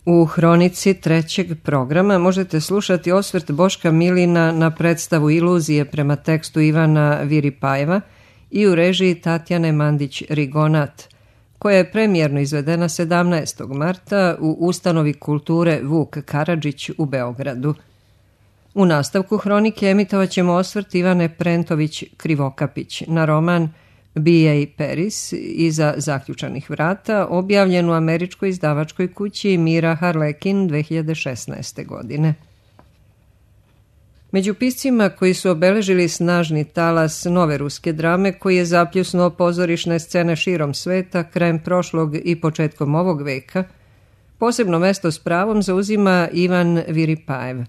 U hronici trećeg programa možete slušati osvrt Boška Milina na predstavu Iluzije prema tekstu Ivana Viripajeva i u režiji Tatjane Mandić-Rigonat, koja je premijerno izvedena 17. marta u Ustanovi kulture Vuk Karadžić u Beogradu. U nastavku hronike emitovat ćemo osvrt Ivane Prentović-Krivokapić na roman B.A. Paris iza zaključanih vrata, objavljen u američkoj izdavačkoj kući Mira Harlekin 2016. godine. Među piscima koji su obeležili snažni talas nove ruske drame koji je zapljusnuo pozorišne scene širom sveta krajem prošlog i početkom ovog veka, posebno mesto s pravom zauzima Ivan Viripajev.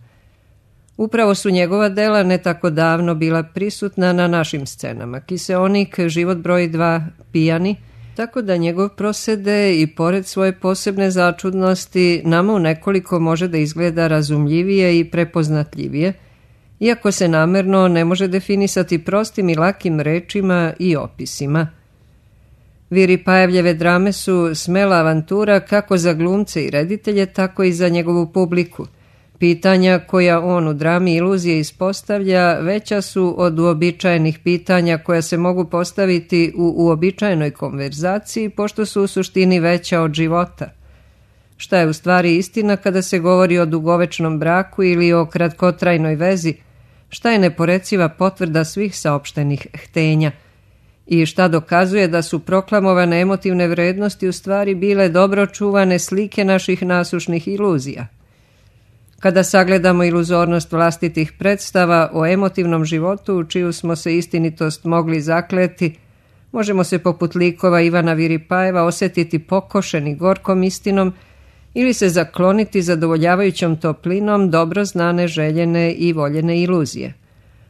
Upravo su njegova dela ne tako davno bila prisutna na našim scenama. Kiseonik, Život broj 2, Pijani, tako da njegov prosede i pored svoje posebne začudnosti nama u nekoliko može da izgleda razumljivije i prepoznatljivije, iako se namerno ne može definisati prostim i lakim rečima i opisima. Viripajevljeve drame su smela avantura kako za glumce i reditelje, tako i za njegovu publiku. Pitanja koja on u drami Iluzije ispostavlja veća su od uobičajenih pitanja koja se mogu postaviti u uobičajenoj konverzaciji, pošto su u suštini veća od života. Šta je u stvari istina kada se govori o dugovečnom braku ili o kratkotrajnoj vezi? Šta je neporeciva potvrda svih saopštenih htenja? I šta dokazuje da su proklamovane emotivne vrednosti u stvari bile dobro čuvane slike naših nasušnih iluzija? Kada sagledamo iluzornost vlastitih predstava o emotivnom životu u čiju smo se istinitost mogli zakleti, možemo se poput likova Ivana Viripajeva osjetiti pokošeni gorkom istinom ili se zakloniti zadovoljavajućom toplinom dobro znane, željene i voljene iluzije.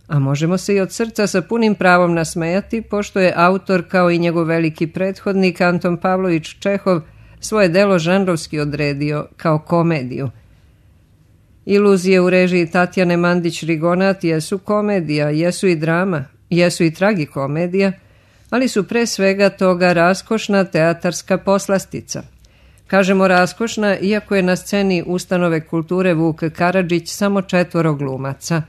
A možemo se i od srca sa punim pravom nasmejati, pošto je autor kao i njegov veliki prethodnik Anton Pavlović Čehov svoje delo žanrovski odredio kao komediju. Iluzije u režiji Tatjane Mandić-Rigonat jesu komedija, jesu i drama, jesu i tragikomedija, ali su pre svega toga raskošna teatarska poslastica. Kažemo raskošna, iako je na sceni Ustanove kulture Vuk Karadžić samo 4 glumaca.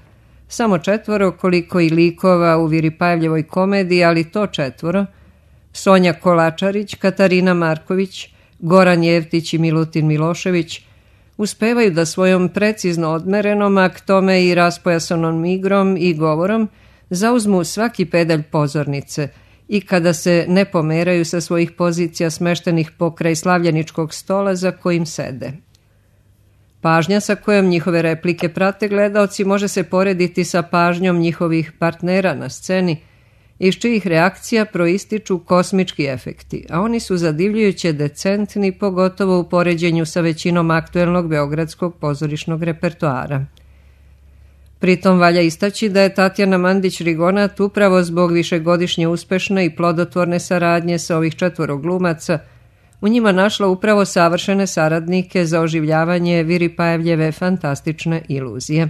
Samo 4 koliko i likova u Viripajevljevoj komediji, ali to 4, Sonja Kolačarić, Katarina Marković, Goran Jevtić i Milutin Milošević, uspevaju da svojom precizno odmerenom, a k tome i raspojasanom igrom i govorom zauzmu svaki pedalj pozornice i kada se ne pomeraju sa svojih pozicija smeštenih pokraj slavljeničkog stola za kojim sede. Pažnja sa kojom njihove replike prate gledaoci može se porediti sa pažnjom njihovih partnera na sceni, iz čijih reakcija proističu kosmički efekti, a oni su zadivljujuće decentni, pogotovo u poređenju sa većinom aktuelnog beogradskog pozorišnog repertoara. Pritom valja istaći da je Tatjana Mandić-Rigonat upravo zbog višegodišnje uspešne i plodotvorne saradnje sa ovih 4 glumaca u njima našla upravo savršene saradnike za oživljavanje Viripajevljeve fantastične iluzije.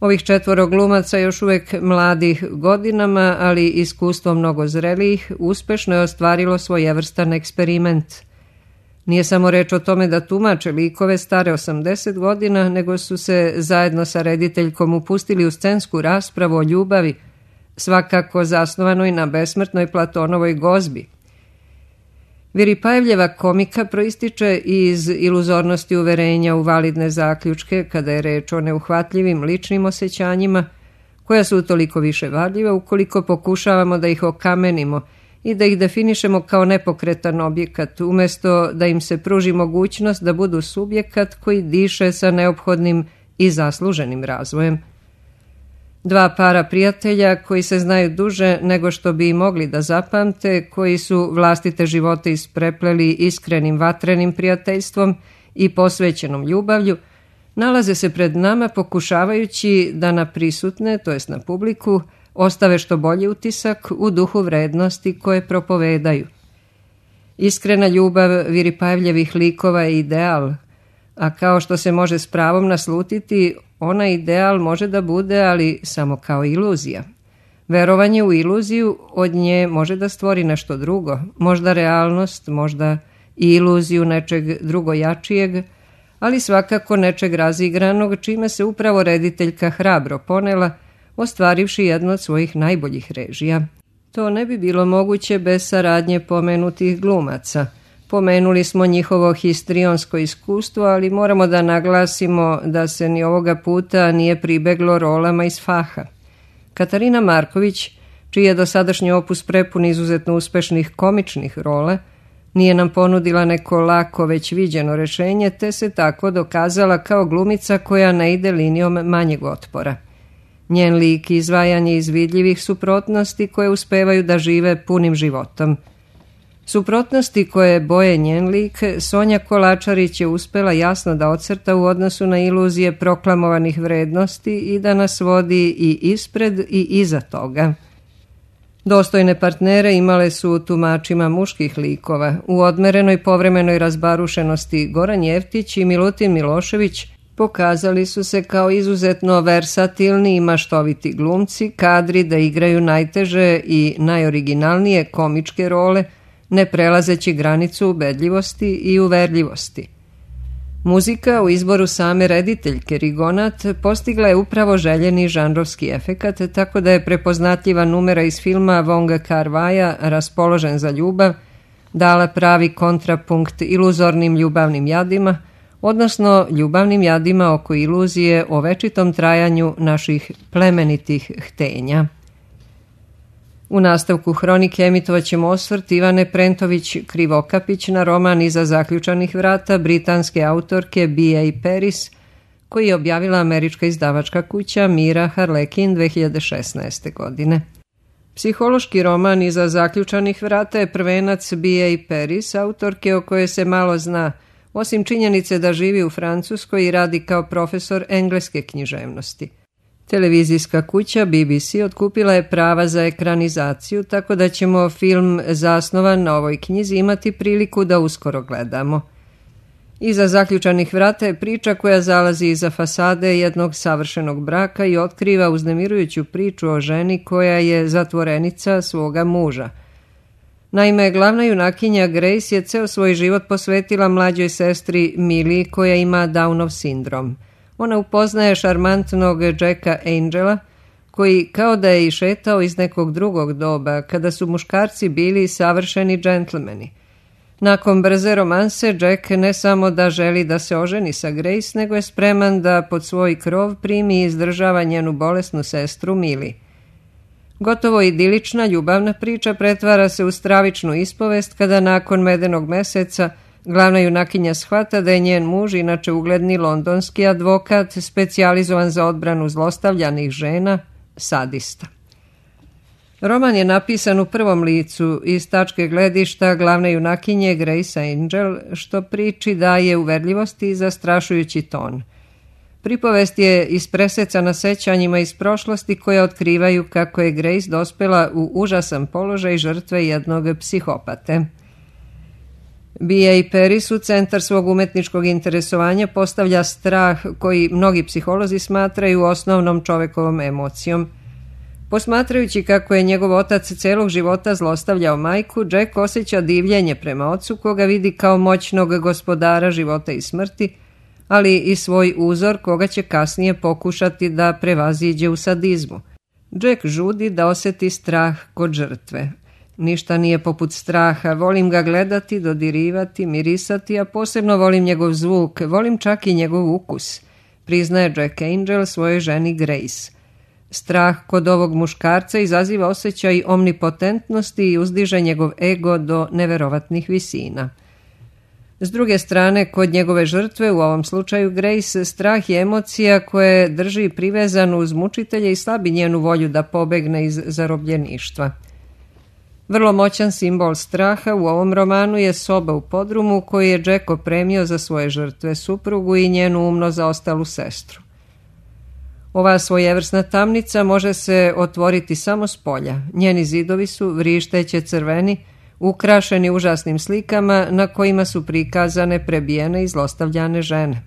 Ovih 4 glumaca još uvek mladih godinama, ali iskustvo mnogo zrelijih, uspešno je ostvarilo svojevrstan eksperiment. Nije samo reč o tome da tumače likove stare 80 godina, nego su se zajedno sa rediteljkom upustili u scensku raspravu o ljubavi, svakako zasnovanoj na besmrtnoj Platonovoj gozbi. Viripajevljeva komika proističe iz iluzornosti uverenja u validne zaključke kada je reč o neuhvatljivim ličnim osjećanjima, koja su utoliko više varljiva ukoliko pokušavamo da ih okamenimo i da ih definišemo kao nepokretan objekat, umjesto da im se pruži mogućnost da budu subjekat koji diše sa neophodnim i zasluženim razvojem. 2 para prijatelja koji se znaju duže nego što bi mogli da zapamte, koji su vlastite živote isprepleli iskrenim vatrenim prijateljstvom i posvećenom ljubavlju, nalaze se pred nama pokušavajući da na prisutne, to jest na publiku, ostave što bolji utisak u duhu vrednosti koje propovedaju. Iskrena ljubav Viripajevljevih likova je ideal, a kao što se može s pravom naslutiti, ona ideal može da bude, ali samo kao iluzija. Verovanje u iluziju od nje može da stvori nešto drugo, možda realnost, možda i iluziju nečeg drugojačijeg, ali svakako nečeg razigranog, čime se upravo rediteljka hrabro ponela, ostvarivši jednu od svojih najboljih režija. To ne bi bilo moguće bez saradnje pomenutih glumaca. Pomenuli smo njihovo histrionsko iskustvo, ali moramo da naglasimo da se ni ovoga puta nije pribeglo rolama iz faha. Katarina Marković, čiji je dosadašnji opus prepun izuzetno uspešnih komičnih rola, nije nam ponudila neko lako već viđeno rešenje, te se tako dokazala kao glumica koja ne ide linijom manjeg otpora. Njen lik i izvajanje iz vidljivih suprotnosti koje uspevaju da žive punim životom. Suprotnosti koje boje njen lik, Sonja Kolačarić je uspela jasno da ocrta u odnosu na iluzije proklamovanih vrednosti i da nas vodi i ispred i iza toga. Dostojne partnere imale su u tumačima muških likova. U odmerenoj povremenoj razbarušenosti Goran Jeftić i Milutin Milošević pokazali su se kao izuzetno versatilni i maštoviti glumci, kadri da igraju najteže i najoriginalnije komičke role, ne prelazeći granicu ubedljivosti i uverljivosti. Muzika u izboru same rediteljke Rigonat postigla je upravo željeni žanrovski efekat, tako da je prepoznatljiva numera iz filma Vonga Kar-vaja Raspoložen za ljubav dala pravi kontrapunkt iluzornim ljubavnim jadima, odnosno ljubavnim jadima oko iluzije o večitom trajanju naših plemenitih htenja. U nastavku hronike emitovat ćemo osvrt Ivane Prentović Krivokapić na roman Iza zaključanih vrata britanske autorke B.A. Paris, koji je objavila američka izdavačka kuća Mira Harlekin 2016. godine. Psihološki roman Iza zaključanih vrata je prvenac B.A. Paris, autorke o kojoj se malo zna, osim činjenice da živi u Francuskoj i radi kao profesor engleske književnosti. Televizijska kuća BBC otkupila je prava za ekranizaciju, tako da ćemo film zasnovan na ovoj knjizi imati priliku da uskoro gledamo. Iza zaključanih vrata je priča koja zalazi iza fasade jednog savršenog braka i otkriva uznemirujuću priču o ženi koja je zatvorenica svoga muža. Naime, glavna junakinja Grace je ceo svoj život posvetila mlađoj sestri Millie koja ima Downov sindrom. Ona upoznaje šarmantnog Jacka Angela, koji kao da je išetao iz nekog drugog doba, kada su muškarci bili savršeni džentlmeni. Nakon brze romanse, Jack ne samo da želi da se oženi sa Grace, nego je spreman da pod svoj krov primi i izdržava njenu bolesnu sestru Millie. Gotovo idilična ljubavna priča pretvara se u stravičnu ispovest kada nakon medenog meseca glavna junakinja shvata da je njen muž, inače ugledni londonski advokat, specijalizovan za odbranu zlostavljanih žena, sadista. Roman je napisan u prvom licu iz tačke gledišta glavne junakinje Grace Angel, što priči daje uverljivosti i zastrašujući ton. Pripovest je ispresecana sećanjima iz prošlosti koje otkrivaju kako je Grace dospela u užasan položaj žrtve jednog psihopate. B.A. Paris u centar svog umetničkog interesovanja postavlja strah koji mnogi psiholozi smatraju osnovnom čovekovom emocijom. Posmatrajući kako je njegov otac celog života zlostavljao majku, Jack osjeća divljenje prema ocu koga vidi kao moćnog gospodara života i smrti, ali i svoj uzor koga će kasnije pokušati da prevaziđe u sadizmu. Jack žudi da oseti strah kod žrtve. Ništa nije poput straha, volim ga gledati, dodirivati, mirisati, a posebno volim njegov zvuk, volim čak i njegov ukus, priznaje Jack Angel svojoj ženi Grace. Strah kod ovog muškarca izaziva osjećaj omnipotentnosti i uzdiže njegov ego do neverovatnih visina. S druge strane, kod njegove žrtve, u ovom slučaju Grace, strah je emocija koja drži privezanu uz mučitelje i slabi njenu volju da pobegne iz zarobljeništva. Vrlo moćan simbol straha u ovom romanu je soba u podrumu koju je Jack opremio za svoje žrtve, suprugu i njenu umno zaostalu sestru. Ova svojevrsna tamnica može se otvoriti samo s polja. Njeni zidovi su vrišteće crveni, ukrašeni užasnim slikama na kojima su prikazane prebijene i zlostavljane žene.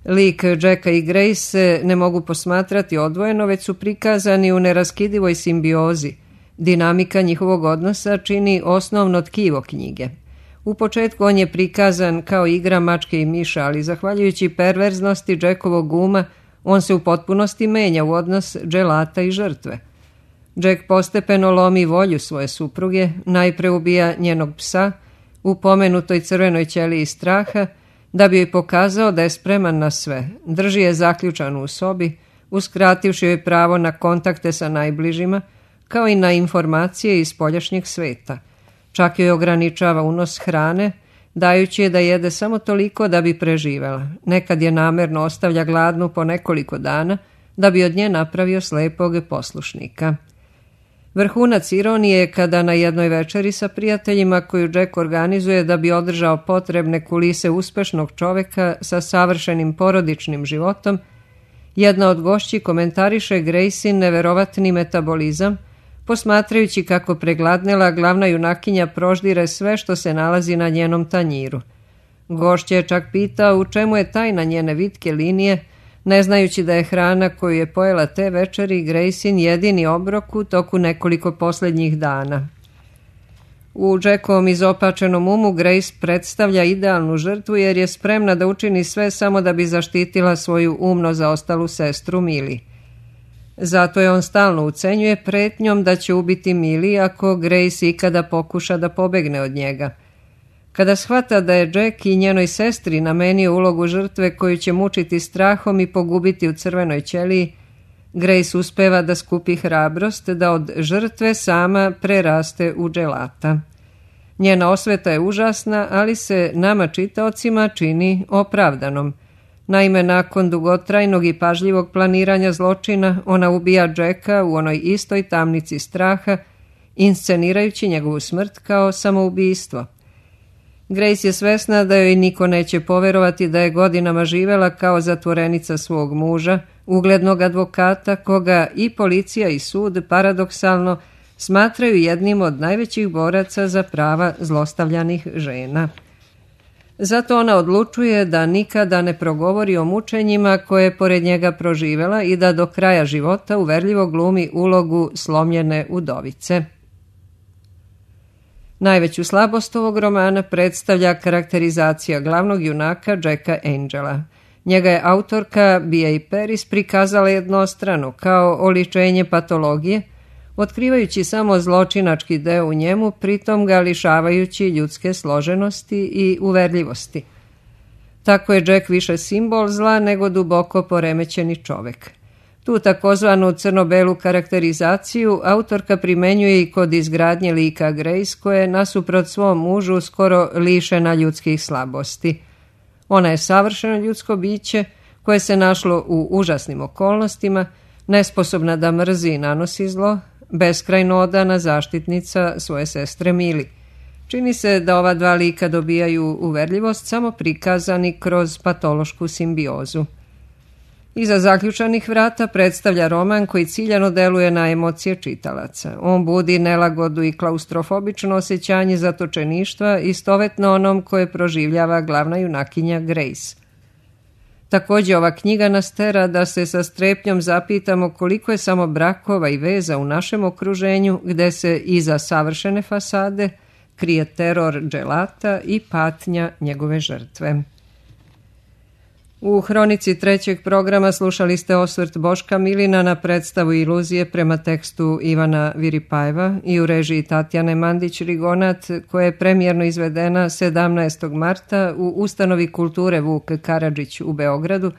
Lik Jacka i Grace ne mogu posmatrati odvojeno, već su prikazani u neraskidivoj simbiozi. Dinamika njihovog odnosa čini osnovno tkivo knjige. U početku on je prikazan kao igra mačke i miša, ali zahvaljujući perverznosti Jackovog uma, on se u potpunosti menja u odnos dželata i žrtve. Jack postepeno lomi volju svoje supruge, najpre ubija njenog psa u pomenutoj crvenoj ćeliji straha, da bi joj pokazao da je spreman na sve. Drži je zaključanu u sobi, uskrativši joj pravo na kontakte sa najbližima, kao i na informacije iz spoljašnjeg sveta. Čak joj ograničava unos hrane, dajući je da jede samo toliko da bi preživela. Nekad je namerno ostavlja gladnu po nekoliko dana, da bi od nje napravio slepog poslušnika. Vrhunac ironije je kada na jednoj večeri sa prijateljima koju Jack organizuje da bi održao potrebne kulise uspešnog čoveka sa savršenim porodičnim životom, jedna od gošći komentariše Gracin neverovatni metabolizam, posmatrajući kako pregladnela glavna junakinja proždire sve što se nalazi na njenom tanjiru. Gošća je čak pitao u čemu je tajna njene vitke linije, ne znajući da je hrana koju je pojela te večeri Gracin jedini obrok u toku nekoliko posljednjih dana. U Jackovom izopačenom umu Grace predstavlja idealnu žrtvu jer je spremna da učini sve samo da bi zaštitila svoju umno zaostalu sestru Millie. Zato je on stalno ucenjuje pretnjom da će ubiti Millie ako Grace ikada pokuša da pobegne od njega. Kada shvata da je Jack i njenoj sestri namenio ulogu žrtve koju će mučiti strahom i pogubiti u crvenoj ćeliji, Grace uspeva da skupi hrabrost da od žrtve sama preraste u dželata. Njena osveta je užasna, ali se nama čitaocima čini opravdanom. Naime, nakon dugotrajnog i pažljivog planiranja zločina, ona ubija Jacka u onoj istoj tamnici straha, inscenirajući njegovu smrt kao samoubistvo. Grace je svesna da joj niko neće poverovati da je godinama živela kao zatvorenica svog muža, uglednog advokata, koga i policija i sud paradoksalno smatraju jednim od najvećih boraca za prava zlostavljanih žena. Zato ona odlučuje da nikada ne progovori o mučenjima koje je pored njega proživela i da do kraja života uverljivo glumi ulogu slomljene udovice. Najveću slabost ovog romana predstavlja karakterizacija glavnog junaka Jacka Angela. Njega je autorka B.A. Paris prikazala jednostrano kao oličenje patologije, otkrivajući samo zločinački deo u njemu, pritom ga lišavajući ljudske složenosti i uverljivosti. Tako je Jack više simbol zla nego duboko poremećeni čovek. Tu takozvanu crno-belu karakterizaciju autorka primenjuje i kod izgradnje lika Grace, koja je nasuprot svom mužu skoro lišena ljudskih slabosti. Ona je savršeno ljudsko biće koje se našlo u užasnim okolnostima, nesposobna da mrzi i nanosi zlo, beskrajno odana zaštitnica svoje sestre Millie. Čini se da ova dva lika dobijaju uverljivost samo prikazani kroz patološku simbiozu. Iza zaključanih vrata predstavlja roman koji ciljano deluje na emocije čitalaca. On budi nelagodu i klaustrofobično osjećanje zatočeništva istovetno onom koje proživljava glavna junakinja Grace. Također ova knjiga nas tera da se sa strepnjom zapitamo koliko je samo brakova i veza u našem okruženju gde se iza savršene fasade krije teror dželata i patnja njegove žrtve. U hronici trećeg programa slušali ste osvrt Boška Milina na predstavu Iluzije prema tekstu Ivana Viripajeva i u režiji Tatjane Mandić-Rigonat, koja je premijerno izvedena 17. marta u Ustanovi kulture Vuk Karadžić u Beogradu,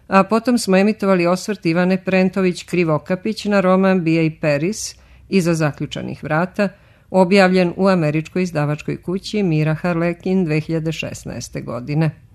a potom smo emitovali osvrt Ivane Prentović-Krivokapić na roman B.A. Paris Iza zaključanih vrata, objavljen u američkoj izdavačkoj kući Mira Harlekin 2016. godine.